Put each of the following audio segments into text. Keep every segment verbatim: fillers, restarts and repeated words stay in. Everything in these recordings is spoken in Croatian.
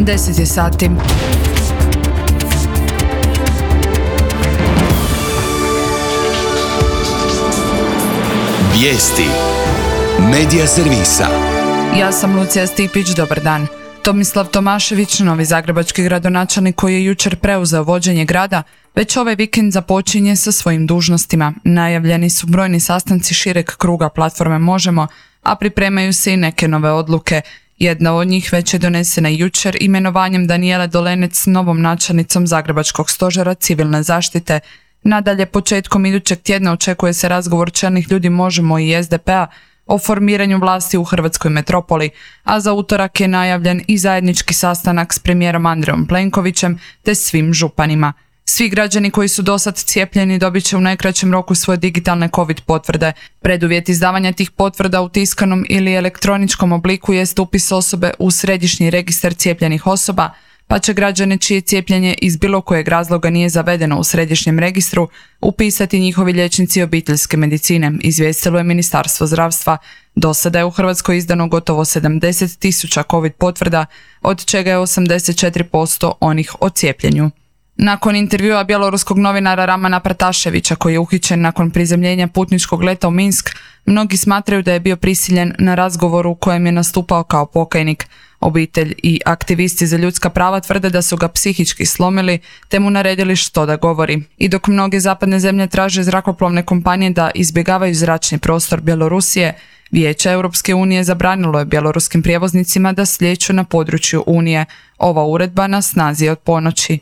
deset je sati. Vijesti Medija servisa. Ja sam Lucija Stipić, dobar dan. Tomislav Tomašević, novi zagrebački gradonačelnik koji je jučer preuzeo vođenje grada, već ovaj vikend započinje sa svojim dužnostima. Najavljeni su brojni sastanci šireg kruga platforme Možemo, a pripremaju se i neke nove odluke. Jedna od njih već je donesena jučer imenovanjem Danijele Dolenec novom načelnicom Zagrebačkog stožera civilne zaštite. Nadalje, početkom idućeg tjedna očekuje se razgovor čelnih ljudi Možemo i es de pe-a o formiranju vlasti u hrvatskoj metropoli, a za utorak je najavljen i zajednički sastanak s premijerom Andrejom Plenkovićem te svim županima. Svi građani koji su dosad cijepljeni dobit će u najkraćem roku svoje digitalne COVID potvrde. Preduvjet izdavanja tih potvrda u tiskanom ili elektroničkom obliku jest upis osobe u središnji registar cijepljenih osoba, pa će građane čije cijepljenje iz bilo kojeg razloga nije zavedeno u središnjem registru upisati njihovi liječnici obiteljske medicine, izvijestilo je Ministarstvo zdravstva. Do sada je u Hrvatskoj izdano gotovo sedamdeset tisuća COVID potvrda, od čega je osamdeset četiri posto onih o cijepljenju. Nakon intervjua bjeloruskog novinara Ramana Prataševića, koji je uhićen nakon prizemljenja putničkog leta u Minsk, mnogi smatraju da je bio prisiljen na razgovoru u kojem je nastupao kao pokajnik. Obitelj i aktivisti za ljudska prava tvrde da su ga psihički slomili te mu naredili što da govori. I dok mnoge zapadne zemlje traže zrakoplovne kompanije da izbjegavaju zračni prostor Bjelorusije, Vijeće Europske unije zabranilo je bjeloruskim prijevoznicima da slijeću na području Unije. Ova uredba na snazi je od ponoći.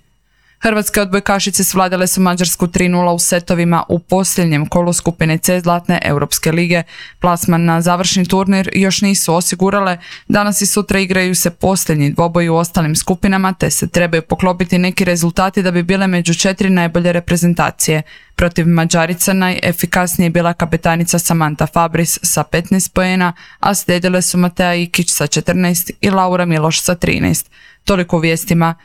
Hrvatske odbojkašice svladale su Mađarsku tri nula u setovima u posljednjem kolu skupine C Zlatne Europske lige. Plasman na završni turnir još nisu osigurale, danas i sutra igraju se posljednji dvoboji u ostalim skupinama te se trebaju poklopiti neki rezultati da bi bile među četiri najbolje reprezentacije. Protiv Mađarica najefikasnije je bila kapetanica Samantha Fabris sa petnaest poena, a slijedile su Matea Ikić sa četrnaest i Laura Miloš sa trinaest. Toliko u vijestima.